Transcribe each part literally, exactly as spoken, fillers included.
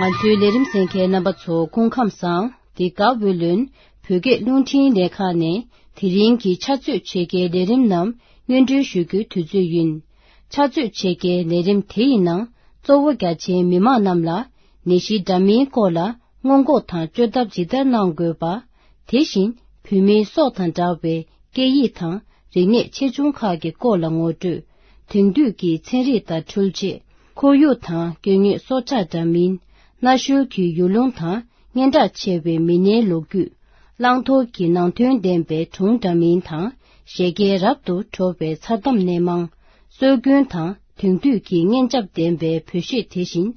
ང་ཚོའི་ལས་རིམ་གསན་མཁན་རྣམ་པ་ཚོ་སྐུ་ཁམས་བཟང་། འདི་ག་ཝེ་ལོན་བོད་སྐད་རླུང་འཕྲིན་ལས་ཁང་ནས་དེ་རིང་གི་ཕྱག་ཚོད་ཕྱེད་ཀའི་ལས་རིམ་རྣམས་སྙན་སྒྲོན་ཞུ་རྒྱུའི་དུས་ཚོད་ཡིན། ཕྱག་ཚོད་ཕྱེད་ཀའི་ལས་རིམ་དེ་ཡི་ནང་གཙོ་བོ་རྒྱ་ཆེའི་མི་མང་རྣམས་ལ་ནད་གཞི་འདྲ་མིན་སྐོར་ལ་སྔོན་འགོག་དང་བཅོས་ཐབས་ཇི་ལྟར་གནང་དགོས་པ། དེ་བཞིན་བོད་མིའི་སྲོག་དང་འདྲ་བའི་སྐད་ཡིག་དང་རིག་གནས་ཆེ་ཆུང་ཁག་གི་སྐོར་ལ་ངོ་སྤྲོད། དེང་དུས་ཀྱི་ཚན་རིག་དང་འཕྲུལ་ཆས། ཁོར་ཡུག་དང་སྐྱེ་དངོས་སྲོག་ཆགས་འདྲ་མིན། གནའ་ཤུལ་གྱི་ཡུལ་ལུང་དང་སྙན་གྲགས་ཆེ་བའི་མི་སྣའི་ལོ་རྒྱུས། བླང་དོར་གྱི་ནང་དོན་ལྡན་པའི་སྒྲུང་འདྲ་མིན་དང་། བཞད་གད་རབ་ཏུ་བྲོ་བའི་མཚར་གཏམ་སྣེ་མང་། སྲོལ་རྒྱུན་དང་དེང་དུས་ཀྱི་སྙན་འཇེབས་ལྡན་པའི་བོད་གཞས། དེ་བཞིན་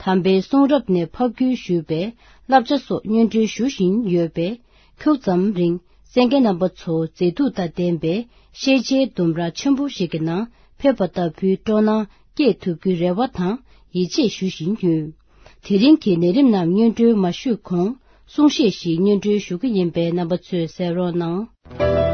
དམ་པའི་གསུང་རབ་ནས་ཕབ་བསྒྱུར་ཞུས་པའི་བསླབ་བྱ་སོགས་སྙན་སྒྲོན་ཞུ་བཞིན་ཡོད་པས། ཁྱུག་ཙམ་རིང་གསན་མཁན་རྣམ་པ་ཚོ་མཛེས་སྡུག་དང་ལྡན་པའི་ཤེས་བྱའི་ལྡུམ་ར་ཆེན་པོ་ཞིག་གི་ནང་ཕེབས་པ་ལྟ་བུའི་སྤྲོ་སྣང་སྐྱེས་ཐུབ་རྒྱུའི་རེ་བ་དང་ཡིད་ཆེས་ཞུ་བཞིན་ཡོད། དེ་རིང་གི་ལས་རིམ་རྣམས་སྙན་སྒྲོན་མ་ཞུས་གོང་གསུང་བཤད་ཞིག་སྙན་སྒྲོན་ཞུ་གི་ཡིན་པས་རྣམ་པ་ཚོས་གསན་རོགས་གནང་།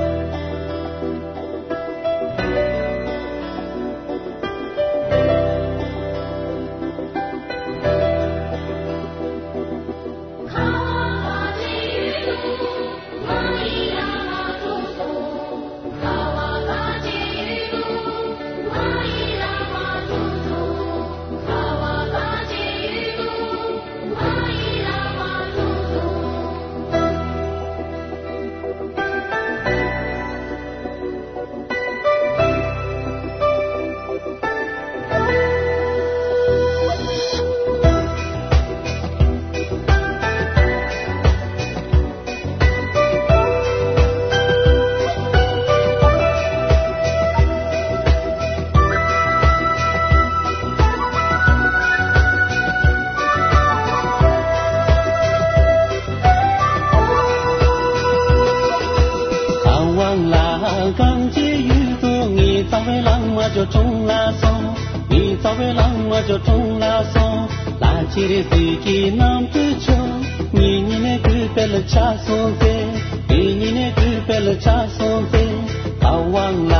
གང་ལ་གང་བྱེད་ཡུལ་དུ་ངེས། རྩ་བའི་བླ་མ་ཇོ་འབྲོང་ལ་སོང་། ངེས་རྩ་བའི་བླ་མ་ཇོ་འབྲོང་ལ་སོང་། ལྷ་ཆེ་རེ་ཟིག་གི་རྣམ་འཕྲུལ་ཆོ། ངེད་གཉིས་ནས་གུས་པལ་ཆ་སོང་ཚེ། ངེད་གཉིས་ནས་གུས་པལ་ཆ་སོང་ཚེ། གང་ལ་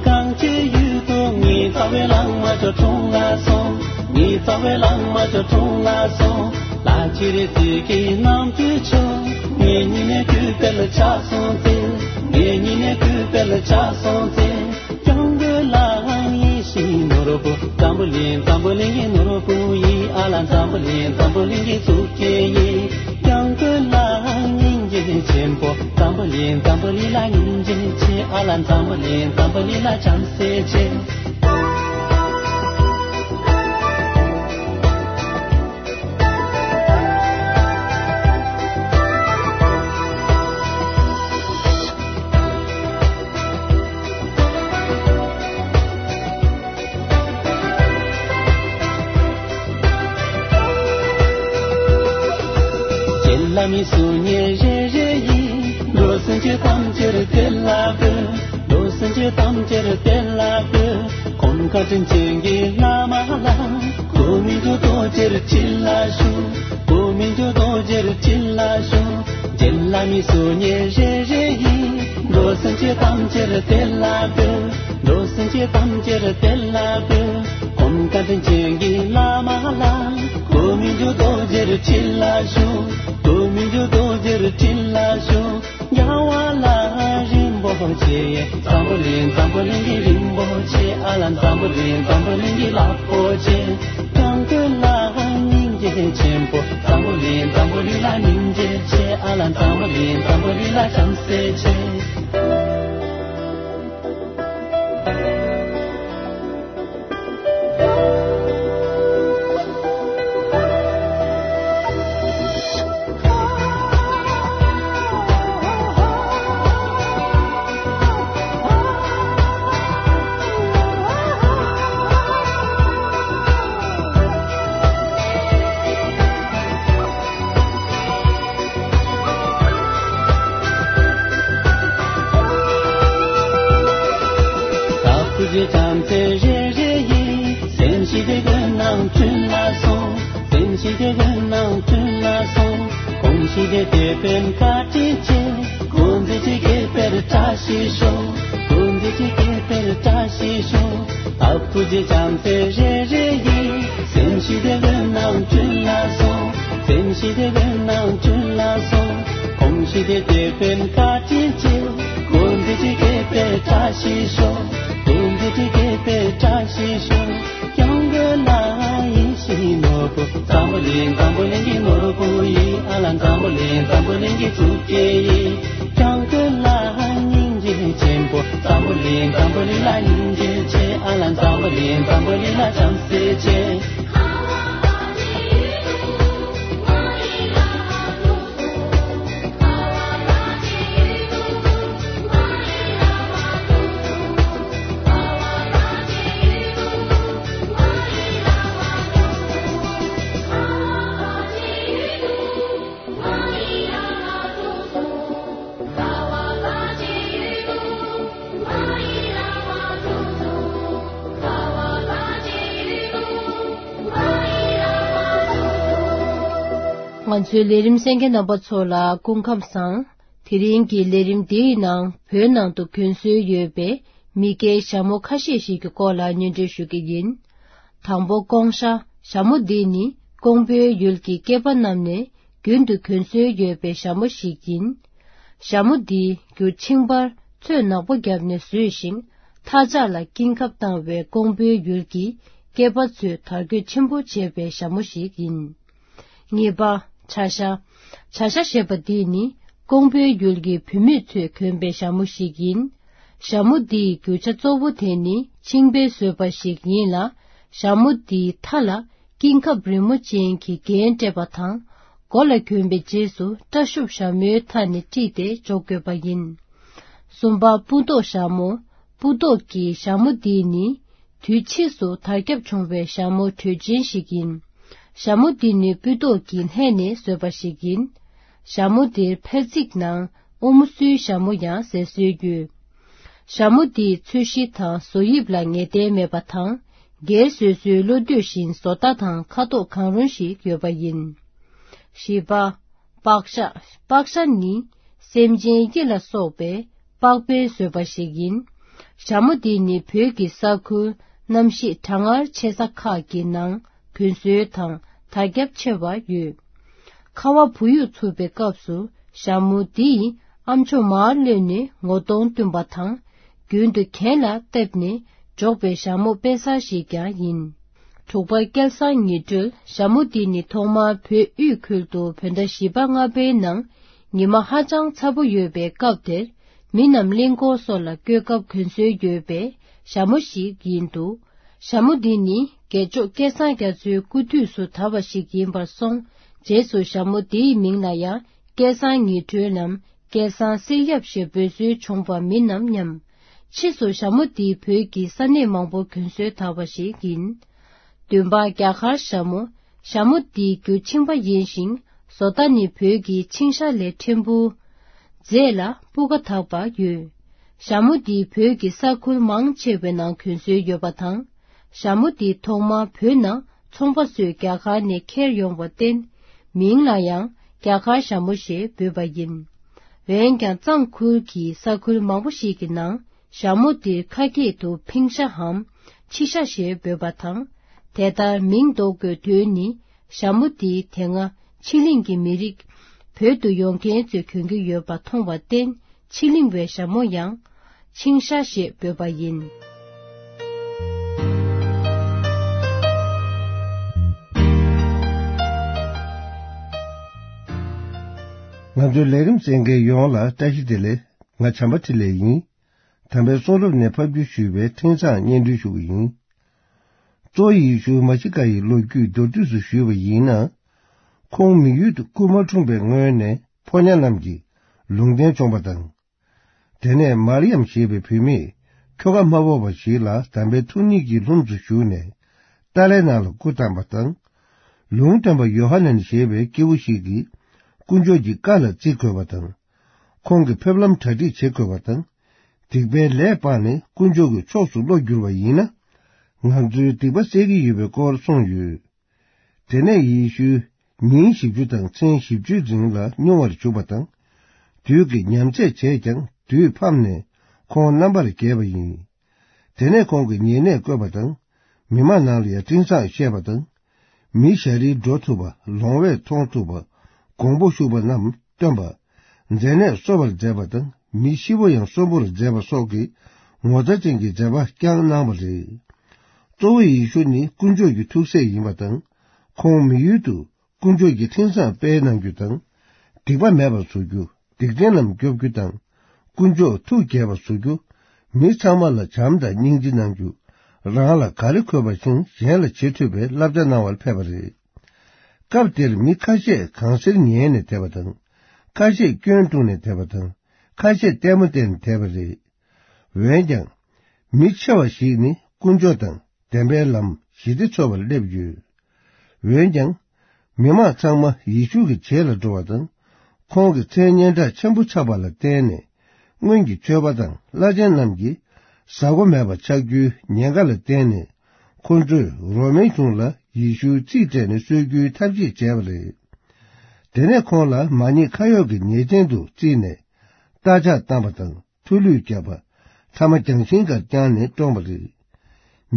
གང་བྱེད་ཡུལ་དུ་ངེས། རྩ་བའི་བླ་མ་ཇོ་འབྲོང་ལ་སོང་། ངེས་རྩ་བའི་བླ་མ་ཇོ་འབྲོང་ལ་སོང་། ལྷ་ཆེ་རེ་ཟིག་གི་རྣམ་འཕྲུལ་ཆོ། ངེད་གཉིས་ནས་གུས་པལ་ཆ་སོང་ཚེ། ངེད་གཉིས་ནས་གུས་པལ་ཆ་སོང་ཚེ། སྐྱབས་མགོན་ལགས་ཡིད་བཞིན་ནོར་བུ། འཛམ་བུ་གླིང་འཛམ་བུ་གླིང་གི་ནོར་བུ་ཡིན། ཨ་ལ་འཛམ་བུ་གླིང་འཛམ་བུ་གླིང་གི་གཙུག་རྒྱན་ཡིན། སྐྱབས་མགོན་ལགས་སྙིང་རྗེ་ཆེན་པོ། འཛམ་བུ་གླིང་འཛམ་བུ་གླིང་ལ་སྙིང་རྗེ་ཆེ། ཨ་ལ་འཛམ་བུ་གླིང་འཛམ་བུ་གླིང་ལ་བྱམས་བརྩེ་ཆེ། རྗེ་བླ་མའི་གསུང་སྙན་རེ་རེ་ཡིས། འགྲོ་སེམས་ཅན་ཐམས་ཅད་བདེ་ལ་འགོད། འགྲོ་སེམས་ཅན་ཐམས་ཅད་བདེ་ལ་འགོད། གོང་དཀའ་དྲིན་ཅན་གྱི་བླ་མ་ལ། གོ་མི་འགྲོ་རྡོ་རྗེར་ཕྱི་ལ་ཞུགས། གོ་མི་འགྲོ་རྡོ་རྗེར་ཕྱི་ལ་ཞུགས། རྗེ་བླ་མའི་གསུང་སྙན་རེ་རེ་ཡིས། འགྲོ་སེམས་ཅན་ཐམས་ཅད་བདེ་ལ་འགོད། འགྲོ་སེམས་ཅན་ཐམས་ཅད་བདེ་ལ་འགོད། གོང་དཀའ་དྲིན་ཅན་གྱི་བླ་མ་ལ། གོ་མི་འགྲོ་རྡོ་རྗེར་ཕྱི་ལ་ཞུགས། གོ་མི་འགྲོ་རྡོ་རྗེར་ཕྱི་ལ་ཞུགས། རྒྱལ་བ་ལ་རིན་པོ་ཆེ། འཛམ་བུ་གླིང་འཛམ་བུ་གླིང་གི་རིན་པོ་ཆེ། ཨ་ལ་འཛམ་བུ་གླིང་འཛམ་བུ་གླིང་གི་ལག་པོ་ཆེ། སྐྱབས་མགོན་ལགས་སྙིང་རྗེ་ཆེན་པོ། འཛམ་བུ་གླིང་འཛམ་བུ་གླིང་ལ་སྙིང་རྗེ་ཆེ། ཨ་ལ་འཛམ་བུ་གླིང་འཛམ་བུ་གླིང་ལ་བྱམས་བརྩེ་ཆེ། ཐུགས་རྗེ་བྱམས་བརྩེ་རེ་རེ་ཡིས། སེམས་ཤིང་དེ་ཀུན་ནང་བྱོན་ལ་སོང་། སེམས་ཤིང་དེ་ཀུན་ནང་བྱོན་ལ་སོང་། གོང་ཞིང་དེ་དེད་དཔོན་བཀའ་དྲིན་ཆེ། གོང་མཛད་ཀྱི་དགེ་འཕེལ་བཀྲ་ཤིས་ཤོག། གོང་མཛད་ཀྱི་དགེ་འཕེལ་བཀྲ་ཤིས་ཤོག། ཐུགས་རྗེ་བྱམས་བརྩེ་རེ་རེ་ཡིས། སེམས་ཤིང་དེ་ཀུན་ནང་བྱོན་ལ་སོང་། བན་ཞི་དེ་བན་ནང་ཆུན་ལ་སོང་། ཁོང་ཞི་དེ་དེ་བན་ཀ་ཅི་ཅི། ཀུན་དི་ཅི་ཀེ་པེ་བཀྲ་ཤིས་ཤོག། ཀུན་དི་ཅི་ཀེ་པེ་བཀྲ་ཤིས་ཤོག། སྐྱོང་གི་ལ་ཡིན་ཤི་ནོར་བུ། འཛམ་བུ་གླིང་འཛམ་བུ་གླིང་གི་ནོར་བུ་ཡིན། ཨ་ལ་འཛམ་བུ་གླིང་འཛམ་བུ་གླིང་གི་གཙུག་རྒྱན་ཡིན། སྐྱོང་གི་ལ་སྙིང་རྗེ་ཆེན་པོ། འཛམ་བུ་གླིང་འཛམ་བུ་གླིང་ལ་སྙིང་རྗེ་ཆེ། ཨ་ལ་འཛམ་བུ་གླིང་འཛམ་བུ་གླིང་ལ་བྱམས་བརྩེ་ཆེ། ང་ཚོའི་ལས་རིམ་གསན་མཁན་རྣམ་པ་ཚོ་ལ་སྐུ་ཁམས་བཟང་། དེ་རིང་གི་ལས་རིམ་འདིའི་ནང་བོད་ནང་དུ་གྱོན་སྲོལ་ཡོད་པའི་མི་སྐྱའི་ཞྭ་མོ་ཁ་ཤས་ཤིག་གི་སྐོར་ལ་སྙན་སྒྲོན་ཞུ་གི་ཡིན། དང་པོ་ཀོང་ཞྭ། ཞྭ་མོ་འདི་ནི་ཀོང་པོའི་ཡུལ་གྱི་སྐྱེས་པ་རྣམས་ནས་རྒྱུན་དུ་གྱོན་སྲོལ་ཡོད་པའི་ཞྭ་མོ་ཞིག་ཡིན། ཞྭ་མོ་འདི་རྒྱུ་ཆིང་པར་ཚོས་ནག་པོ་བརྒྱབ་ནས་བཟོས་ཤིང་། མཐའ་ལྕགས་ལ་སྐྱིན་ཁབ་བཏང་བའི་ཀོང་པོའི་ཡུལ་གྱི་སྐྱེས་པ་ཚོས་དར་གོས་ཆེན་པོ་བྱས་པའི་ཞྭ་མོ་ཞིག་ཡིན། གཉིས་པ། བྱ་ཞྭ། བྱ་ཞྭ་ཞེས་པ་འདི་ནི་ཀོང་པོའི་ཡུལ་གྱི་བུད་མེད་ཚོས་གྱོན་པའི་ཞྭ་མོ་ཞིག་ཡིན། ཞྭ་མོ་འདིའི་རྒྱུ་ཆ་གཙོ་བོ་དེ་ནི་ཆིང་པས་བཟོས་པ་ཞིག་ཡིན་ལ། ཞྭ་མོ་འདིའི་མཐའ་ལ་སྐྱིན་ཁབ་རི་མོ་ཅན་གྱི་རྒྱན་སྤྲས་པ་དང་། མགོ་ལ་གྱོན་པའི་རྗེས་སུ་སྐྲ་ཤུབས་ཞྭ་མོའི་མཐའ་ནས་དཀྲིས་ཏེ་འཇོག་དགོས་པ་ཡིན། གསུམ་པ། སྤུ་མདོག་ཞྭ་མོ། སྤུ་མདོག་གི་ཞྭ་མོ་འདི་ནི། དུས་ཕྱིས་སུ་དར་ཁྱབ་བྱུང་བའི་ཞྭ་མོ་དྲོད་ཅན་ཞིག་ཡིན། ཞྭ་མོ་འདི་ནི་སྤུ་མདོག་གི་ལྷས་ནས་བཟོས་པ་ཞིག་ཡིན། ཞྭ་མོ་འདིར་ཕར་རྩིག་ནང་ཨོ་མོ་སུའི་ཞྭ་མོ་ཡང་ཟེར་སྲོལ་ཡོད། ཞྭ་མོ་འདིའི་ཚོས་གཞི་དང་བཟོ་དབྱིབས་ལ་ངེས་གཏན་མེད་པ་དང་། སྒེར་སོ་སོའི་བློ་འདོད་བཞིན་བཟོ་ལྟ་དང་ཁ་དོག་གང་རུང་ཞིག་ཡོད་པ་ཡིན། བཞི་པ། པགས་ཞྭ། པགས་ཞྭ་ནི་སེམས་ཅན་སྐྱེ་ལ་སོགས་པའི་པགས་པས་བཟོས་པ་ཞིག་ཡིན། ཞྭ་མོ་འདི་ནི་བོད་ཀྱི་ས་ཁུལ་གནམ་གཤིས་གྲང་ངར་ཆེ་ས་ཁག་གི་ནང་གྱོན་སྲོལ་དང་དར་ཁྱབ་ཆེ་བ་ཡོད། ཁ་བ་བུ་ཡུག་འཚུབ་པའི་སྐབས་སུ་ཞྭ་མོ་འདི་ཡིས་ཨ་མཆོག་མར་གློད་ནས་ངོ་གདོང་བཏུམ་པ་དང་། རྒྱུན་དུ་གྱེན་ལ་བཏེགས་ནས་འཇོག་པའི་ཞྭ་མོ་དཔེ་གསར་ཞིག་ཀྱང་ཡིན། དྲུག་པ། སྐལ་བཟང་ཉི་སྒྲོལ། ཞྭ་མོ་འདི་ནི་ཐོག་མར་བོད་དབུས་ཁུལ་དུ་བོད་ཟླ་བཞི་པ་ལྔ་པའི་ནང་ཉི་མ་ཧ་ཅང་ཚ་པོ་ཡོད་པའི་སྐབས་དེར་མི་རྣམས་གླིང་སྐོར་སོགས་ལ་བསྐྱོད་སྐབས་གྱོན་སྲོལ་ཡོད་པའི་ཞྭ་མོ་ཞིག་ཡིན་འདུག། ཞྭ་མོ་འདི་ནི་རྒྱལ་མཆོག་སྐལ་བཟང་རྒྱ་མཚོའི་སྐུ་དུས་སུ་དར་བ་ཞིག་ཡིན་པར་སོང་། རྗེས་སུ་ཞྭ་མོ་འདིའི་མིང་ལ་ཡང་སྐལ་བཟང་ཉི་སྒྲོལ་ནམ་སྐལ་བཟང་གསེར་ཡབ་ཞེས་འབོད་སྲོལ་བྱུང་བ་མིན་ནམ་སྙམ། ཕྱིས་སུ་ཞྭ་མོ་འདི་བོད་ཀྱི་ས་གནས་མང་པོར་གྱོན་སྲོལ་དར་བ་ཞིག་ཡིན། བདུན་པ། རྒྱ་གར་ཞྭ་མོ། ཞྭ་མོ་འདི་རྒྱུ་ཆིང་པ་ཡིན་ཞིང་། བཟོ་ལྟ་ནི་བོད་ཀྱི་ཆིང་ཞྭ་ལས་ཕྲན་བུ་མཛེས་ལ་སྤུས་ཀ་དག་པ་ཡོད། ཞྭ་མོ་འདི་བོད་ཀྱི་ས་ཁུལ་མང་ཆེ་བའི་ནང་གྱོན་སྲོལ་ཡོད་པ་དང་། ཞྭ་མོ་འདི་ཐོག་མར་བོད་ནང་ཚོང་པ་ཚོས་རྒྱ་གར་ནས་ཁྱེར་ཡོང་བར་བརྟེན། མིང་ལ་ཡང་རྒྱ་གར་ཞྭ་མོ་ཞེས་འབོད་པ་ཡིན། འོན་ཀྱང་གཙང་ཁུལ་གྱི་ས་ཁུལ་མང་པོ་ཞིག་གི་ནང་ཞྭ་མོ་འདིར་ཁ་སྐད་དུ་ཕིང་ཤ་འམ་ཆི་ཤ་ཞེས་འབོད་པ་དང་། དེ་ལྟར་མིང་འདོགས་དགོས་དོན་ནི། ཞྭ་མོ་འདི་དེ་སྔ་ཕྱི་གླིང་གི་མི་རིགས་བོད་དུ་ཡོང་མཁན་ཚོས་གྱོན་གྱི་ཡོད་པ་མཐོང་བར་བརྟེན། ཕྱི་གླིང་བའི་ཞྭ་མོ་ཡང་ཆིང་ཤ་ཞེས་འབོད་པ་ཡིན། ང་ཚོའི་ལས་རིམ་གསན་མཁན་ཡོངས་ལ་བཀྲ་ཤིས་བདེ་ལེགས། ང་བྱམས་པ་འཕྲིན་ལས་ཡིན། དམ་པའི་གསུང་རབ་ནས་ཕབ་བསྒྱུར་ཞུས་པའི་འཕྲིན་བཟང་སྙན་སྒྲོན་ཞུ་གི་ཡིན། གཙོ་བོ་ཡེ་ཤུ་མཱ་ཤི་ཀ་ཡི་ལོ་རྒྱུས་མདོར་བསྡུས་སུ་ཞུས་པ་ཡིན་ན། ཁོང་མི་ཡུལ་དུ་སྐུ་མ་འཁྲུངས་པའི་སྔོན་ནས་ཕོ་ཉ་རྣམས་ཀྱིས་ལུང་བསྟན་བྱུང་བ་དང་། དེ་ནས་མར་ཡམ་ཞེས་པའི་བུད་མེད་ཁྱོ་ག་མ་ཕོག་པ་ཞིག་ལ་དམ་པའི་ཐུགས་ཉིད་ཀྱི་ལྷུམས་སུ་ཞུགས་ནས་ཏཱ་ལའི་ནང་ལ་སྐུ་བལྟམས་པ་དང་། ལུང་སྟོན་པ་ཡོ་ཧ་ནན་ཞེས་པའི་སྐྱེས་བུ་ཞིག་གིས་དཀོན་མཆོག་གི་བཀའ་ལ་བརྩི་དགོས་པ་དང་། ཁོང་གི་ཕེབས་ལམ་གྲ་སྒྲིག་བྱེད་དགོས་པ་དང་། སྡིག་པའི་ལས་སྤངས་ནས་དཀོན་མཆོག་གི་ཕྱོགས་སུ་བློ་བསྒྱུར་བ་ཡིན་ན། ང་ཚོའི་སྡིག་པ་སེལ་གྱི་ཡོད་པའི་སྐོར་གསུངས་ཡོད། དེ་ནས་ཡེ་ཤུས་ཉིན་བཞི་བཅུ་དང་མཚན་བཞི་བཅུའི་རིང་ལ་སྨྱུང་བར་བཅུག་པ་དང་། དུས་ཀྱི་ཉམས་ཚད་བྱས་ཀྱང་དུས་ཕམ་ནས་ཁོང་རྣམ་པར་རྒྱལ་བ་ཡིན། དེ་ནས་ཁོང་གིས་ཉེ་གནས་བསྐོས་པ་དང་། མི་མང་ནང་ལ་ཡང་འཕྲིན་བཟང་བཤད་པ་དང་། མི་ཞ་རིལ་འགྲོ་ཐུབ་པ། ལོང་བས་མཐོང་ཐུབ་པ། གོང་བུ་ཞུགས་པ་རྣམས་སྟོན་པ། མཛེ་ནད་གསོ་བར་མཛད་པ་དང་། མི་ཤི་བོ་ཡང་གསོན་པོར་མཛད་པ་སོགས་ཀྱི་ངོ་མཚར་ཅན་གྱི་མཛད་པ་བསྐྱངས་གནང་བ་རེད། གཙོ་བོ་ཡེ་ཤུ་ནི་དཀོན་མཆོག་གི་ཐུགས་སྲས་ཡིན་པ་དང་། ཁོང་མི་ཡུལ་དུ་དཀོན་མཆོག་གི་མཐིང་སང་སྤེལ་གནང་རྒྱུ་དང་། སྡིག་པ་མེད་པར་བཟོ་རྒྱུ། སྡིག་ཅན་རྣམས་སྐྱོབ་རྒྱུ་དང་། དཀོན་མཆོག་ཐུགས་དགྱེས་པར་བཟོ་རྒྱུ། མི་ཚང་མ་ལ་བྱམས་དང་སྙིང་རྗེ་གནང་རྒྱུ། རང་ལ་ག་རེ་དགོས་པ་བཞིན་གཞན་ལ་བྱེད་ཐུབ་པའི་བསླབ་བྱ་གནང་བར་ཕེབས་པ་རེད། སྐབས་དེར་མི་ཁ་ཤས་གང་ཟེར་ཉན་ནས་བསྡད་པ་དང་། ཁ་ཤས་སྐྱོན་བསྒྲུགས་ནས་བསྡད་པ་དང་། ཁ་ཤས་ལྟད་མོ་བལྟས་ནས་བསྡད་པ་རེད། འོན་ཀྱང་། མི་ཆེ་བ་ཞིག་ནི་དཀོན་མཆོག་དང་བདེན་པའི་ལམ་ཞི་བདེ་འཚོལ་བར་སླེབས་ཡོད། འོན་ཀྱང་། མི་མང་ཚང་མ་ཡེ་ཤུ་གི་རྗེས་ལ་འགྲོ་བ་དང་། ཁོང་གི་མཚན་སྙན་གྲགས་ཆེན་པོ་ཆགས་པ་ལ་བརྟེན་ནས། སྔོན་གྱི་ཆོས་པ་དང་བླ་ཆེན་རྣམས་ཀྱིས་ཟ་སྒོ་མེད་པ་ཆགས་རྒྱུའི་ཉེན་ཁ་ལ་བརྟེན་ནས། ཁོ་ཚོས་རོ་མའི་གཞུང་ལ་ཡེ་ཤུའི་རྩིས་སྤྲད་ནས་གསོད་རྒྱུའི་ཐབས་ཤེས་བྱས་པ་རེད། དེ་ནས་ཁོང་ལ་མ་ཉེས་ཁ་གཡོགས་ཀྱི་ཉེས་ཅན་དུ་བརྩིས་ནས། རྟ་ལྕག་བཏང་བ་དང་། མཐོ་གླུད་བརྒྱབ་པ། ཐ་མ་རྒྱང་ཤིང་སྒར་བརྐྱངས་ནས་བཀྲོངས་པ་རེད།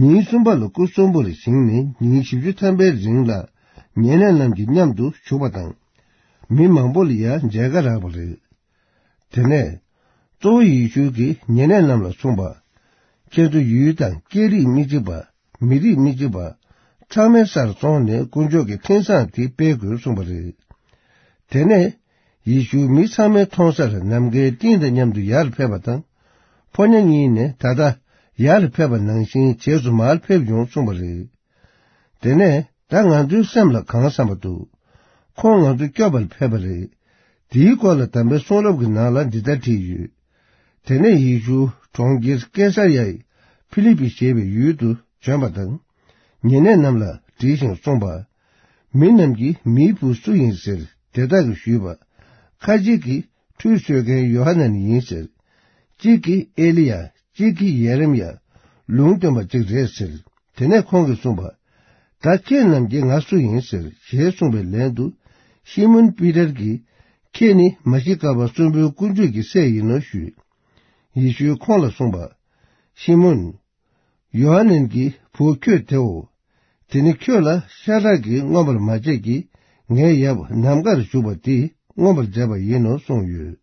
ཉིན་གསུམ་པ་ལ་སྐུ་གསོན་པོར་བཞེངས་ནས། ཉིན་བཞི་བཅུ་ཐམ་པའི་རིང་ལ་ཉེ་གནས་རྣམས་ཀྱི་མཉམ་དུ་བཞུགས་པ་དང་། མི་མང་པོ་ལ་ཡང་མཇལ་ཁ་རག་པ་རེད། དེ་ནས་གཙོ་བོ་ཡེ་ཤུ་གིས་ཉེ་གནས་རྣམས་ལ་གསུངས་པ། ཁྱེད་ཚོ་ཡུལ་དང་སྐད་རིགས་མི་གཅིག་པ། མི་རིགས་མི་གཅིག་པ་ཚང་མའི་སར་སོང་ནས་དཀོན་མཆོག་གི་མཐིང་སང་དེ་སྤེལ་དགོས་གསུངས་པ་རེད། དེ་ནས་ཡེ་ཤུ་མི་ཚང་མའི་མཐོང་སར་ནམ་མཁའི་སྤྲིན་དང་མཉམ་དུ་ཡར་ཕེབས་པ་དང་། ཕོ་ཉ་གཉིས་ནས་ད་ལྟ་ཡར་ཕེབས་པ་ནང་བཞིན་རྗེས་སུ་མར་ཕེབས་ཡོང་གསུངས་པ་རེད། དེ་ནས་ད་ང་ཚོའི་སེམས་ལ་གང་བསམ་པ་འདུག་ཁོང་ང་ཚོ་སྐྱོབ་པར་ཕེབས་པ་རེད། དེའི་སྐོར་ལ་དམ་པའི་གསུང་རབ་ཀྱི་ནང་ལ་འདི་ལྟར་བྲིས་ཡོད། དེ་ནས་ཡེ་ཤུ་གྲོང་ཁྱེར་ཀེ་སར་ཡའི་ཕི་ལི་པི་ཞེས་པའི་ཡུལ་དུ་བྱོན་པ་དང་། ཉེ་གནས་རྣམས་ལ་བྲིས་ཤིང་གསུངས་པ། མི་རྣམས་ཀྱིས་མིའི་བུ་སུ་ཡིན་ཟེར་དེ་དག་གིས་ཞུས་པ། ཁ་ཅིག་གིས་ཁྲུས་གསོལ་མཁན་ཡོ་ཧ་ནན་ཡིན་ཟེར། གཅིག་གིས་ཨེ་ལི་ཡ། གཅིག་གིས་ཡེ་རེམ་ཡ། ལུང་སྟོན་པ་གཅིག་རེད་ཟེར། དེ་ནས་ཁོང་གིས་གསུངས་པ། ད་ཁྱེད་རྣམས་ཀྱིས་ང་སུ་ཡིན་ཟེར་ཞེས་གསུངས་པའི་ལན་དུ། ཤི་མོན་པི་ཏར་གྱིས། ཁྱེད་ནི་མ་ཤི་ཀ་པ་གསོན་པོའི་དཀོན་མཆོག་གི་སྲས་ཡིན་ནོ་ཞུས། ཡེ་ཤུས་ཁོང་ལ་གསུངས་པ། ཤི་མོན། ཡོ་ཧ་ནན་གྱི་བུ་ཁྱོད་དེའོ། དེ་ནི་ཁྱོད་ལ་ཤ་ཁྲག་གིས་མངོན་པར་མ་བྱས་ཀྱི། ངའི་ཡབ་ནམ་མཁར་བཞུགས་པ་དེས་མངོན་པར་མཛད་པ་ཡིན་ནོ་གསུངས་ཡོད།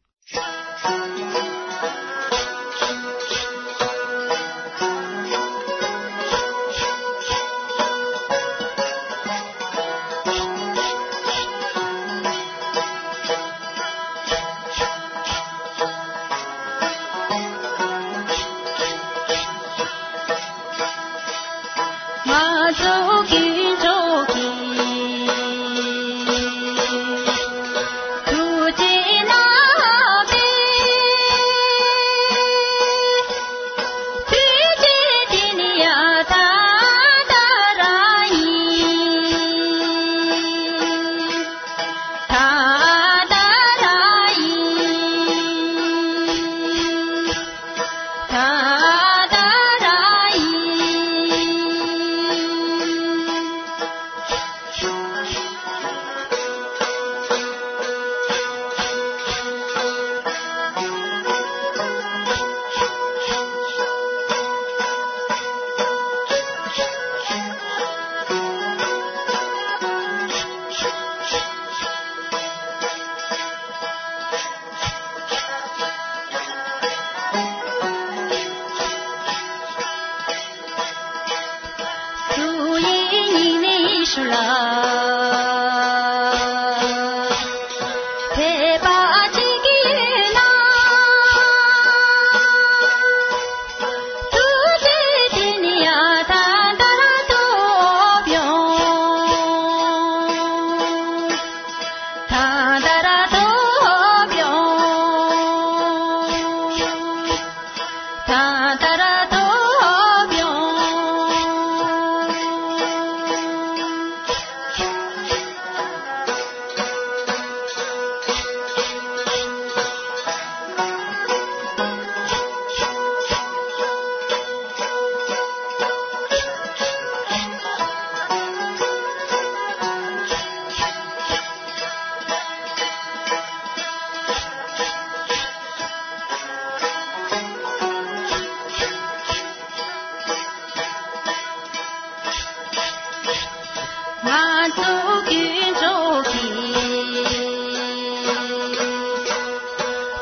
ང་ཚོ་ཀུན་འགྲོ་གི་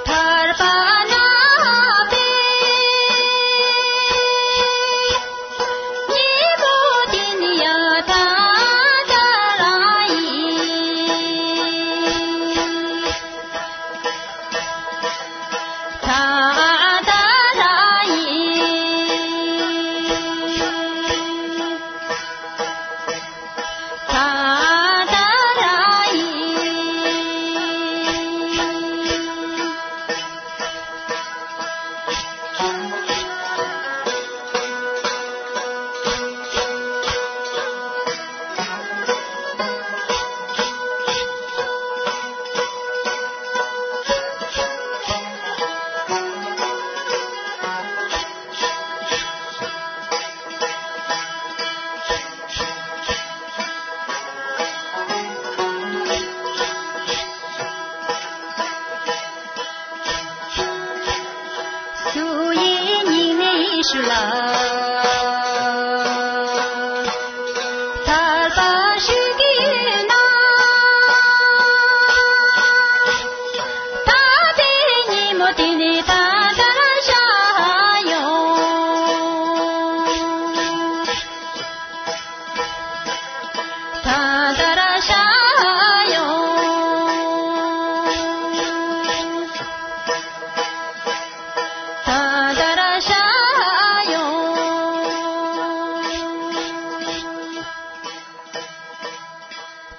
ཐར་པ་ན་པའི་ཉིན་མོ་དེ་ནི་ཡ་ད་ད་ར་ཡིན། ད་ད་ར་ཡིན། ད་ད་ར་ཡིན། སུ་ཡི་སྙིང་ནས་ཞུ་ལ། ཐར་པ་ཞུ་གི་ཡོད་ན། ད་ལྟའི་ཉིན་མོ་དེ་ནི་ད་ལྟར་བཞག་ཡོང་། ད་ལྟར་བཞག་ཡོང་། ད་ལྟར་བཞག་ཡོང་།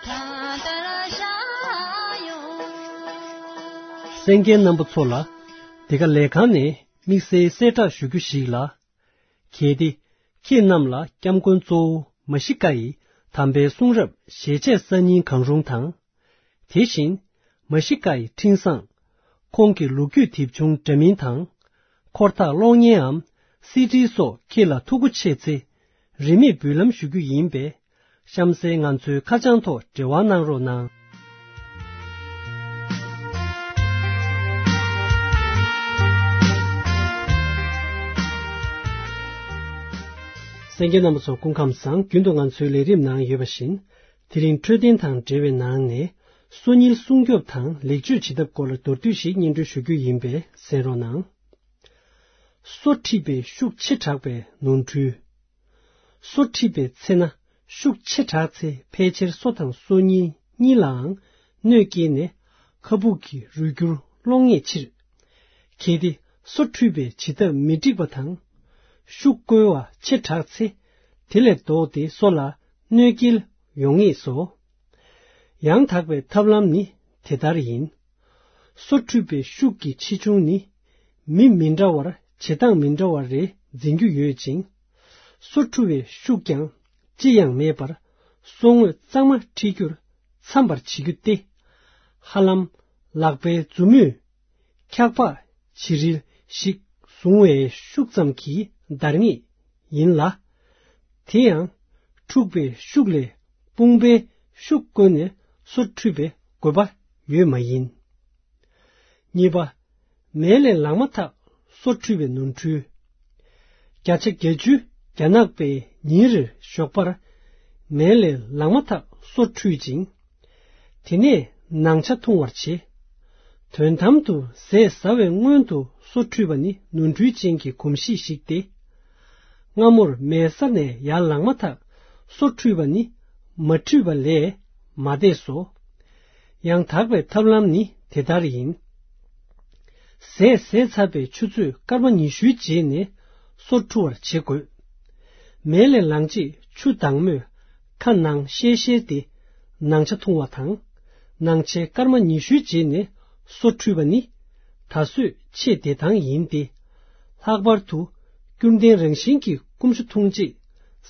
ད་ལྟར་བཞག་ཡོང་། གསན་མཁན་རྣམ་པ་ཚོ་ལ། འདི་ག་ལས་ཁང་ནས་དམིགས་བསལ་གསལ་བསྒྲགས་ཞུ་རྒྱུ་ཞིག་ལ། གལ་ཏེ། ཁྱེད་རྣམས་ལ་སྐྱབས་མགོན་གཙོ་བོ་མ་ཤི་ཀ་ཡི་དམ་པའི་གསུང་རབ་ཞལ་ཆད་གསར་རྙིང་གང་རུང་དང་། དེ་བཞིན། མ་ཤི་ཀ་ཡི་འཕྲིན་བཟང་། ཁོང་གི་ལོ་རྒྱུས་དེབ་ཆུང་འདྲ་མིན་དང་། འཁོར་ཐག་གློག་བརྙན་འམ་སི་ཌི་སོགས་ཁྱེད་ལ་ཐུགས་མཁོ་ཆེ་ཚེ། རིན་མེད་འབུལ་ལམ་ཞུ་རྒྱུ་ཡིན་པས། གཤམ་གསལ་ང་ཚོའི་ཁ་བྱང་ཐོག་འབྲེལ་བ་གནང་རོགས་གནང་། གསན་མཁན་རྣམ་པ་ཚོ་སྐུ་ཁམས་བཟང་། རྒྱུན་དུ་ང་ཚོའི་ལས་རིམ་ནང་ཡོད་པ་བཞིན། དེ་རིང་འཕྲོད་བསྟེན་དང་འབྲེལ་བའི་ནང་ནས། སོ་རྙིལ་སྲུང་སྐྱོབ་དང་ལེགས་བཅོས་བྱེད་ཐབས་སྐོར་ལ་མདོར་བསྡུས་ཤིག་སྙན་སྒྲོན་ཞུ་རྒྱུ་ཡིན་པས་གསན་རོགས་གནང་། སོ་མཁྲིས་པའི་ཤུགས་ཆེ་དྲགས་པའི་ནོར་འཁྲུལ། སོ་མཁྲིས་པའི་ཚེ་ན་ཤུགས་ཆེ་དྲགས་ཚེ་ཕལ་ཆེར་སོ་དང་སོ་རྙིལ་གཉིས་ལའང་གནོད་སྐྱེལ་ནས་ཁ་སྦུག་གི་རུས་འགྱུར་སློང་ངེས་ཕྱིར། གལ་ཏེ་སོ་འཁྲུས་པའི་བྱེད་ཐབས་མི་འགྲིག་པ་དང་། ཤུགས་བཀོལ་བ་ཆེ་དྲགས་ཚེ་དེ་ལས་ལྡོག་སྟེ་སོ་ལ་གནོད་སྐྱེལ་ཡོང་ངེས་སོ། ཡང་དག་པའི་ཐབས་ལམ་ནི་དེ་ལྟར་ཡིན། སོ་འཁྲུས་པའི་ཤུགས་ཀྱི་ཆེ་ཆུང་ནི། མི་མི་འདྲ་བར་བྱེད་སྟངས་མི་འདྲ་བ་རེ་འཛིན་རྒྱུ་ཡོད་ཅིང་། སོ་འཁྲུ་བའི་ཤུགས་ཀྱང་ཅི་ཡང་མེད་པར། སོ་ངོས་གཙང་མ་འཁྲུ་རྒྱུར་འཚམ་པར་བྱེད་རྒྱུ་སྟེ། ཧ་ལམ་ལག་པའི་མཛུབ་མོས་འཁྱག་པག་བྱི་རིལ་ཞིག་བཟུང་བའི་ཤུགས་ཙམ་གྱིས་འདར་ངེས་ཡིན་ལ། དེ་ཡང་འཁྲུགས་པའི་ཤུགས་ལས་དཔུང་པའི་ཤུགས་བཀོལ་ནས་སོ་འཁྲུ་བའི་དགོས་པ་ཡོད་མ་ཡིན། གཉིས་པ། མལ་ལས་ལངས་མ་ཐག་སོ་འཁྲུ་བའི་ནོར་འཁྲུལ། བརྒྱ་ཆ་བརྒྱད་ཅུ་རྒྱ་ནག་པས་ཉིན་རེར་ཞོགས་པར་མལ་ལས་ལངས་མ་ཐག་སོ་འཁྲུ་ཅིང་། དེ་ནས་ནང་ཆ་འཐུང་བར་བྱེད། དོན་དམ་དུ་ཟས་ཟ་བའི་སྔོན་དུ་སོ་འཁྲུ་བ་ནི་ནོར་འཁྲུལ་ཅན་གྱི་གོམས་གཤིས་ཤིག་སྟེ། སྔ་མོར་མལ་ས་ནས་ཡར་ལངས་མ་ཐག་སོ་འཁྲུ་བ་ནི་མ་འཁྲུ་བ་ལས་མ་འདས་སོ། ཡང་དག་པའི་ཐབས་ལམ་ནི་དེ་ལྟར་ཡིན། ཟས་ཟས་ཚར་བའི་ཆུ་ཚོད་སྐར་མ་ཉི་ཤུའི་རྗེས་ནས་སོ་འཁྲུ་བར་བྱེད་དགོས། མལ་ལས་ལངས་རྗེས་ཆུ་དྭངས་མོས་ཁ་ནང་བཤལ་བཤལ་ཏེ་ནང་ཆ་འཐུང་བ་དང་། ནང་ཆའི་སྐར་མ་ཉི་ཤུའི་རྗེས་ནས་སོ་འཁྲུ་བ་ནི་ད་གཟོད་ཆེས་བདེ་ཐང་ཡིན་ཏེ། ལྷག་པར་དུ་སྐྱུར་ལྡན་རང་བཞིན་གྱི་སྐོམ་ཆུ་འཐུང་རྗེས་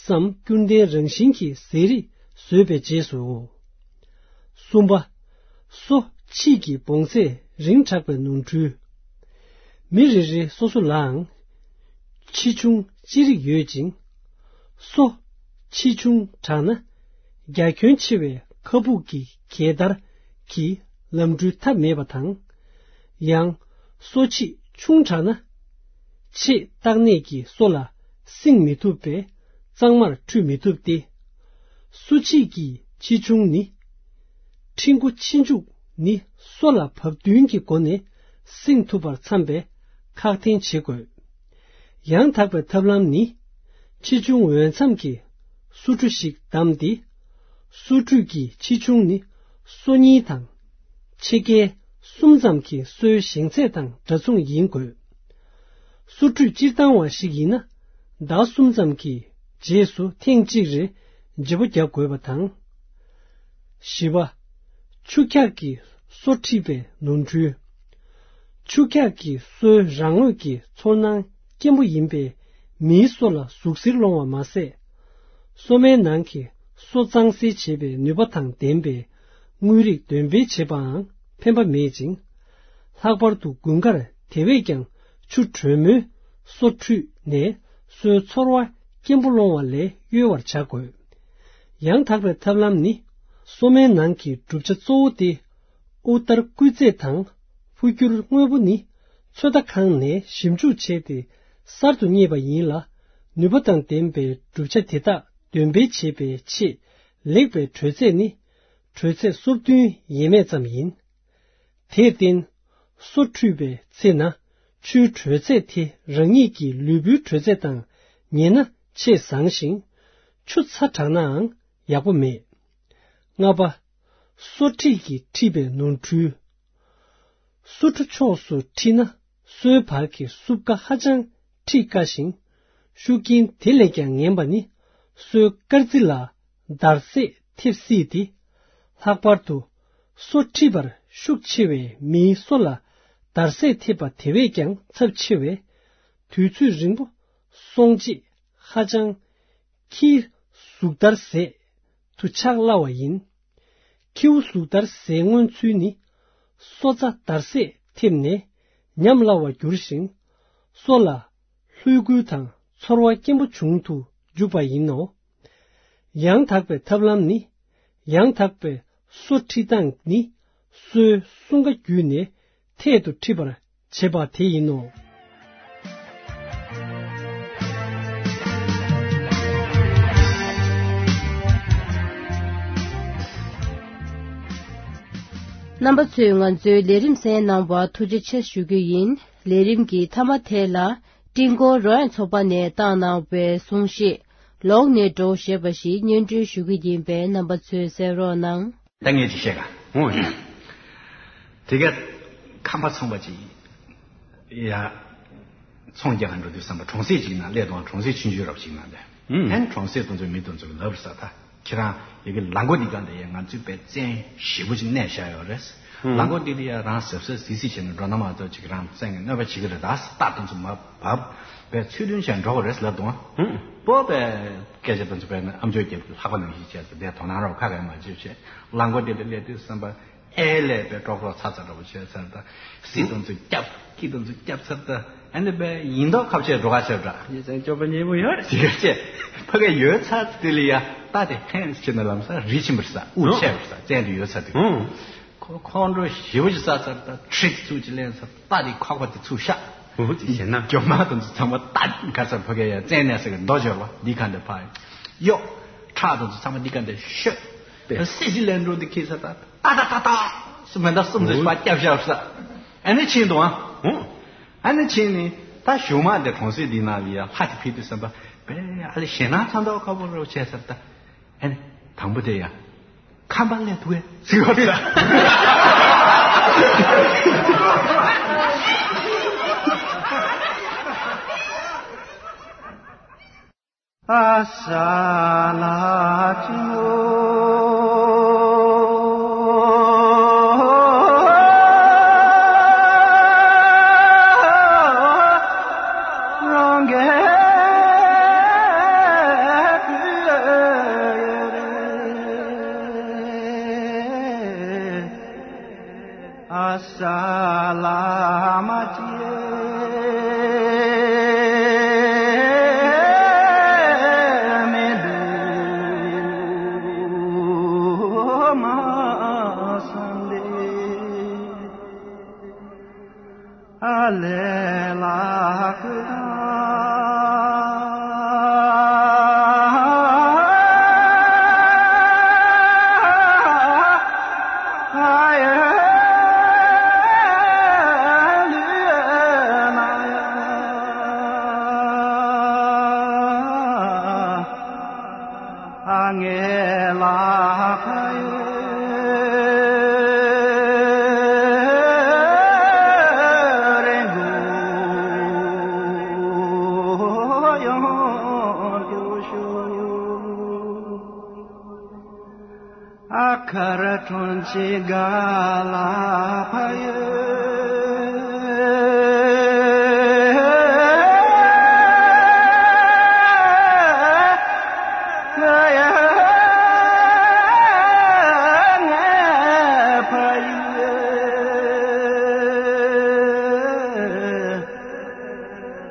སམ། སྐྱུར་ལྡན་རང་བཞིན་གྱི་ཟས་རིགས་ཟོས་པའི་རྗེས་སུ། གསུམ་པ། སོ་མཁྲིས་ཀྱི་བོངས་ཚད་རིང་དྲགས་པའི་ནོར་འཁྲུལ། མི་རེ་རེ་སོ་སོ་ལའང་ཆེ་ཆུང་ཅི་རིགས་ཡོད་ཅིང་། སོ་ཆེ་ཆུང་དྲགས་ན་རྒྱ་ཁྱོན་ཆེ་བའི་ཁ་སྦུག་གི་གད་བདར་གྱིས་ལམ་འགྲུལ་ཐབས་མེད་པ་དང་། ཡང་སོ་མཁྲིས་ཆུང་དྲགས་ན་ཆེས་ལྟག་གནས་ཀྱི་སོ་ལ་བསྲིང་མི་ཐུབ་པས་གཙང་མར་འཁྲུད་མི་ཐུབ་སྟེ། སོ་མཁྲིས་ཀྱི་ ཆེ་ཆུང་ནི། ཕྲེང་སྒོ་ཕྱི་འཇུག་ནི་སོ་ལ་བབ་བསྟུན་གྱི་སྒོ་ནས་བསྲིངས་ཐུབ་པར་འཚམ་པའི་ཁག་འཐེན་བྱེད་དགོས། ཡང་དག་པའི་ཐབས་ལམ་ནི། ཆེ་ཆུང་འོས་འཚམ་གྱི་སོ་ཁྲུ་ཞིག་བདམས་ཏེ། སོ་ཁྲུ་གི་ཆེ་ཆུང་ནི་སོ་གཉིས་དང་། ཕྱེད་ཀའི་གསུམ་ཙམ་གྱི་སོའི་ཞེང་ཚད་དང་འདྲ་མཚུངས་ཡིན་དགོས། སོ་ཁྲུ་སྤྱིར་བཏང་བ་ཞིག་ཡིན་ན། ཟླ་གསུམ་ཙམ་གྱི་རྗེས་སུ་ཐེངས་གཅིག་རེ་བརྗེ་པོ་རྒྱག་དགོས་པ་དང་། བཞི་པ། ཆུ་འཁྱག་གི་སོ་འཁྲིད་པའི་ནོར་འཁྲུལ། ཆུ་འཁྱག་གི་སོའི་རང་ངོས་ཀྱི་ཚོར་སྣང་སྐྱེན་པོ་ཡིན་པས། མིའི་སོ་ལ་ཟུག་གཟེར་སློང་བ་མ་ཟད། སོ་མའི་ནང་གི་སོ་གཙང་སེལ་བྱེད་པའི་ནུས་པ་དང་ལྡན་པའི་དངོས་རིགས་འདོན་སྤེལ་བྱེད་པའང་ཕན་པ་མེད་ཅིང་། ལྷག་པར་དུ་དགུན་ཁར་དེ་བས་ཀྱང་ཆུ་དྲོན་མོའི་སོ་འཁྲུད་ནས་སོའི་ཚོར་བ་སྐྱེན་པོ་སློང་བ་ལས་གཡོལ་བར་བྱ་དགོས། ཡང་དག་པའི་ཐབས་ལམ་ནི། སོ་མའི་ནང་གི་གྲུབ་ཆ་གཙོ་བོ་སྟེ། དབུགས་ལྟར་སྐུལ་རྫས་དང་འཕོ་འགྱུར་དངོས་པོ་ནི་ཚོད་ལྟ་ཁང་ནས་ཞིབ་འཇུག་བྱས་ཏེ་གསར་དུ་རྙེད་པ་ཡིན་ལ། ནུས་པ་དང་ལྡན་པའི་གྲུབ་ཆ་དེ་དག་འདོན་སྤེལ་བྱེད་པའི་ཆེས་ལེགས་པའི་དྲོད་ཚད་ནི། དྲོད་ཚད་སོ་བདུན་ཡས་མས་ཙམ་ཡིན། དེར་བརྟེན། སོ་འཁྲུད་པའི་ཚེ་ན་ཆུའི་དྲོད་ཚད་དེ་རང་ཉིད་ཀྱི་ལུས་པོའི་དྲོད་ཚད་དང་ཉེ་ན་ཆེས་བཟང་ཞིང་། ཆུ་ཚ་དྲགས་ནའང་ཡག་པོ་མེད། ལྔ་པ། སོ་འཁྲིད་ཀྱིས་འཁྲིད་པའི་ནོར་འཁྲུལ། སོ་ཁྲུ་ཕྱོགས་སུ་འཁྲིད་ན་སོའི་བར་གྱི་སྲུབས་ཀ་ཧ་ཅང་འཁྲིད་དཀའ་ཞིང་། ཤུགས་རྐྱེན་དེ་ལས་ཀྱང་ངན་པ་ནི་སོའི་དཀར་རྩི་ལ་འདར་སྲེག་ཐེབས་སྲིད་དེ། ལྷག་པར་དུ་སོ་འཁྲིད་པར་ཤུགས་ཆེ་བའི་མིའི་སོ་ལ་འདར་སྲེག་ཐེབས་པ་དེ་བས་ཀྱང་ཚབས་ཆེ་བས། དུས་ཚོད་རིང་པོ་སོང་རྗེས་ཧ་ཅང་ཁྱིའི་གཟུགས་འདར་སྲེག་ཏུ་ཆགས་སླ་བ་ཡིན། ཁྱིའུ་གཟུགས་འདར་སྲེག་མངོན་ཚུལ་ནི། སོ་རྩ་འདར་སྲེག་ཐེབས་ནས་ཉམས་སླ་བར་འགྱུར་ཞིང་། སོ་ལ་ལྷོད་སྒུལ་དང་ཚོར་བ་སྐྱེན་པོ་བྱུང་དུ་འཇུག་པ་ཡིན་ནོ། ཡང་དག་པའི་ཐབས་ལམ་ནི། ཡང་དག་པའི་སོ་འཁྲིད་སྟངས་ནི། སོའི་གསུང་ཀ་བརྒྱུད་ནས་ཐད་དུ་འཁྲིད་པར་བྱེད་པ་དེ་ཡིན་ནོ། རྣམ་པ་ཚོས་ང་ཚོའི་ལས་རིམ་གསན་གནང་བར་ཐུགས་རྗེ་ཆེ་ཞུ་རྒྱུ་ཡིན། ལས་རིམ་གྱི་མཐའ་མ་དེ་ལ་སྤྲིན་སྐོར་རོལ་དབྱངས་ཚོགས་པ་ནས་བཏང་གནང་བའི་གསུང་བཤད། ལོག་ནས་འགྲོ་ཞེས་པ་ཞིག་སྙན་སྒྲོན་ཞུ་གི་ཡིན་པས་རྣམ་པ་ཚོས་གསན་རོགས་གནང་། ད་ངས་ཅིག་བཤད་ག་ཨོ་ཡ། དེ་ག་ཁམས་པ་ཚོང་པ་ཅིག་ཡ། ཚོང་རྒྱག་ག་འགྲོ་དུས་ཙམ་པ་གྲོང་གསེབ་ཅིག་ན་སླེབས་དང་། གྲོང་གསེབ་ཆུང་ཆུང་རབ་ཅིག་ན་ལས། ཨུམ། ཨན་གྲོང་གསེབ་དེ་ཚོའི་མི་དེ་ཚོ་ལབ་ས་ད། ཁྱེད་རང་ཡ་གི་ལ་མགོ་འདི་ག་འདི་ཡ་ང་ཚོའི་པའི་བཙན་ཞེ་པོ་ཅིག་གནས་བཞག་ཡོད་རེད། ཨུམ། ལ་མགོ་འདི་འདི་ཡ་རང་གཟབ་གཟབ་གཟིགས་གཟིགས་བྱས་ནས་འགྲོ་ན་མ་གཏོགས་ཅིག་རང་བཙན་གྱི་གནོད་པ་བྱེད་ཀྱི་རེད། ད་རྟ་དེ་ཚོ་མ་བབས་པའི་ཚུལ་མཐུན་བྱས་འགྲོ་དགོས་རེད་ལབ་དང་། ཨུམ། པོ་པའི་སྐད་ཆ་དེ་ཚོ་པས་ནི་ཨམ་ཅོག་རྒྱབ་ལྷག་པ་ནང་བཞིན་བྱས་ཏེ་དེ་དོ་སྣང་རོགས་ཁ་གས་མ་བྱེད་བྱས། ལ་མགོ་འདི་འདི་སླེབས་དུས་ཙམ་པ། ཨེ་ལས་པའི་ཀྲོག་ཀྲོག་ཚ་ཚ་འདྲ་པོ་བྱས་ཚར། ད་སྲིད་དང་ཚུར་སྐྱབས། སྐྱིད་དང་ཚུར་སྐྱབས་ཚར། ད་ཨ་ནི་པའི་ཡིན་མདོག་ཁ་བྱས་འགྲོ་ག་བྱས་འདྲ། ཡིན་ཙང་སྐྱོབ་པ་ཉེ་པོ་ཡོད་རེད་ཟེར་བྱས། ཕ་གི་ཡོད་ཚར་དེ་ལ་ཡ་རྟ་དེ་ཧན་བྱས་ནས་ལམ་སང་རི་ཕྱིན་པར་ས་དབུགས་ཆད་པར་ས་བཙན་དུ་ཡོད་ཚར་དུས། ཁོ་ཁོང་ཁྲོ་ཞེ་པོ་ཅིག་ཟ་ཚར། ད་ཁྲིད་ཚུགས་ཅིག་ལེན་ཚར། རྟ་དེ་ཁོག་པ་དེ་ཚུར་བཤགས། འོ་དེ་བྱས་ན། རྒྱོབ་མ་དང་ཚུར་ཚང་མ་རྟ་ག་ཚར་ཕ་གི་ཡ་བཙན་གནས་ས་གི་མདོ་འཇོག་པ་འདི་ག་འདི་ཕ་གཡོག་ཁྲག་དང་ཚུར་ཚང་མ་འདི་ག་འདི་ཤོད། སྲིད་ཞི་ལན་འགྲོ་འདི་ཁྱེད་ས་ད། ཏག་ཏག་ཏག་ཏག་སུ་མེ་མདའ་གསུམ་ཙམ་ཞིག་ཕར་བརྒྱབ་བཞག་ས། ཨ་ནི་ཕྱིན་འདུག་ཨ། ཨ་ནི་ཕྱིན་ནི་ད་གཞུག་མ་འདི་གྲོང་གསེབ་འདི་ནང་ལ་ཡ་ལྷ་དེ་ཕེབས་དུས་ཙམ་པ་པས་ཨ་ལེ་ཞེད་སྣང་ཚ་མདོག་ཁ་པོ་རོ་བྱས་ས་ད། ཨ་ནི་དང་པོ་དེ་ཡ་ཁམས་པ་སླེབས་འདུག་གས་ཟེར་བ་ད། ཨ་ས་ལ་ཅི་ནོ། རང་གི་ཨ་ས་ལ་མ་ཅི་མི་འདུག་མ་སང་ལེ། ཨ་ལེ་ལ་ཀུ་ད། ངའི་ལག་པ་ཡོད་རེད་འདུག་ཡོང་རྒྱུ་ཞུ། ཨ་ཁ་ར་ཁྲོན་ཆེ་ག་ལ་ཕ་ཡོད། ང་ཕ་ཡོད།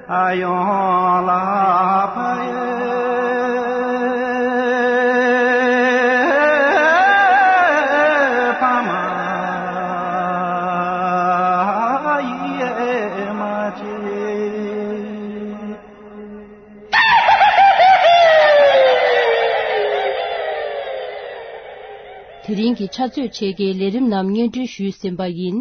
ཨ་ཡོང་ལ་ཕ་ཡོད། ཕ་མ་ཡིད་མ་ཆེས། དེ་རིང་གི་ཕྱག་ཚོད་ཕྱེད་ཀའི་ལས་རིམ་རྣམས་སྙན་སྒྲོན་ཞུས་ཟིན་པ་ཡིན།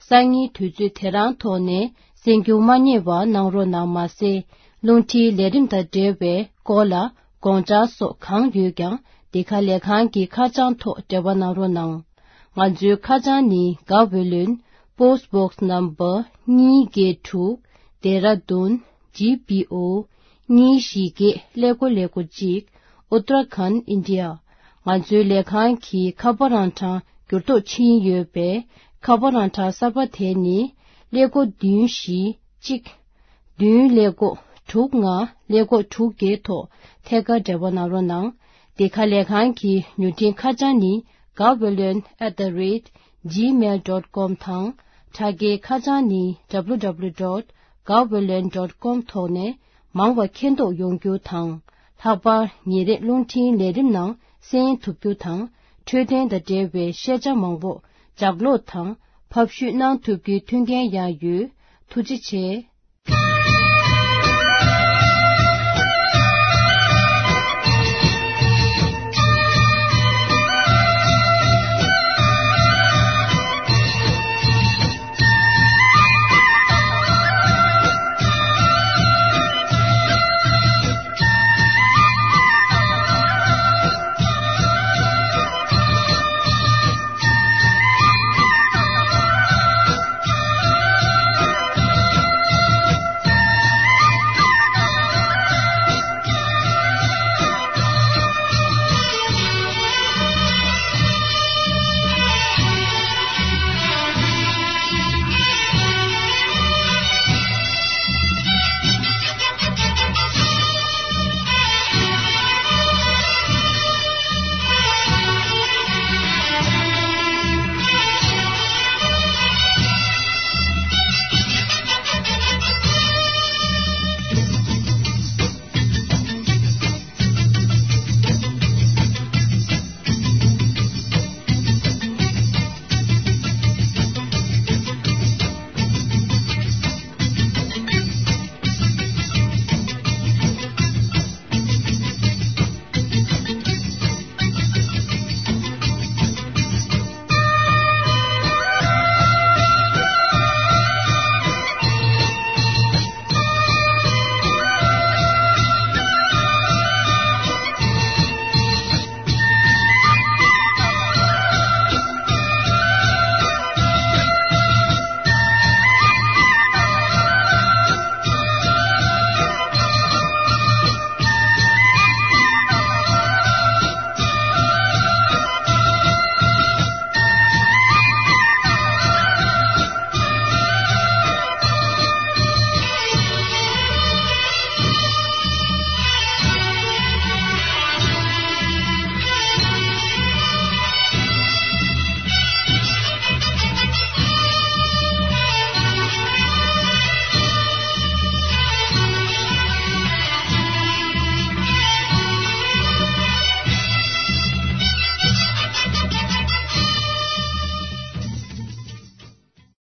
སང་ཉིན་དུས་ཚོད་དེ་རང་ཐོག་ནས་གསན་རྒྱུ་མ་བསྙེལ་བ་གནང་རོགས་གནང་། མ་ཟད། རླུང་འཕྲིན་ལས་རིམ་དང་འབྲེལ་བའི་སྐོར་ལ་དགོངས་འཆར་སོགས་གང་ཡོད་ཀྱང་འདི་ག་ལས་ཁང་གི་ཁ་བྱང་ཐོག་འབྲེལ་བ་གནང་རོགས་གནང་། ང་ཚོའི་ཁ་བྱང་ནི། དགའ་བའི་ལོན། Post Box Number གཉིས་བརྒྱད་དྲུག་དེ་ར་དུན། G P O གཉིས་བཞི་བརྒྱད་ཀླད་ཀོར་ཀླད་ཀོར་གཅིག Uttarakhand, India། ང་ཚོའི་ལས་ཁང་གི་ཁ་པར་ཨང་གྲངས་འགྱུར་ལྡོག་ཕྱིན་ཡོད་པས། ཁ་པར་ཨང་གྲངས་གསར་པ་དེ་ནི། ཀླད་ཀོར་བདུན་བཞི་གཅིག་བདུན་ཀླད་ཀོར་དྲུག་ལྔ་ཀླད་ཀོར་དྲུག་བརྒྱད་ཐོག་ཐད་ཀར་འབྲེལ་བ་གནང་རོགས་གནང་། འདི་ག་ལས་ཁང་གི་མྱུར་འཕྲིན་ཁ་བྱང་ནི། Gaweylon at the rate gmail dot com དང་། དྲ་རྒྱའི་ཁ་བྱང་ནི། W W W dot gaweylon dot com ཐོག་ནས་མང་བ་མཁྱེན་རྟོགས་ཡོང་རྒྱུ་དང་། ལྷག་པར་ཉིན་རེ་རླུང་འཕྲིན་ལས་རིམ་ནང་གསན་ཐུབ་རྒྱུ་དང་། འཕྲོད་བསྟེན་དང་འབྲེལ་བའི་ཤེས་བྱ་མང་པོ་ལྗགས་ཀློག་དང་ཕབ་བཤུས་གནང་ཐུབ་རྒྱུའི་མཐུན་རྐྱེན་ཡང་ཡོད། ཐུགས་རྗེ་ཆེ།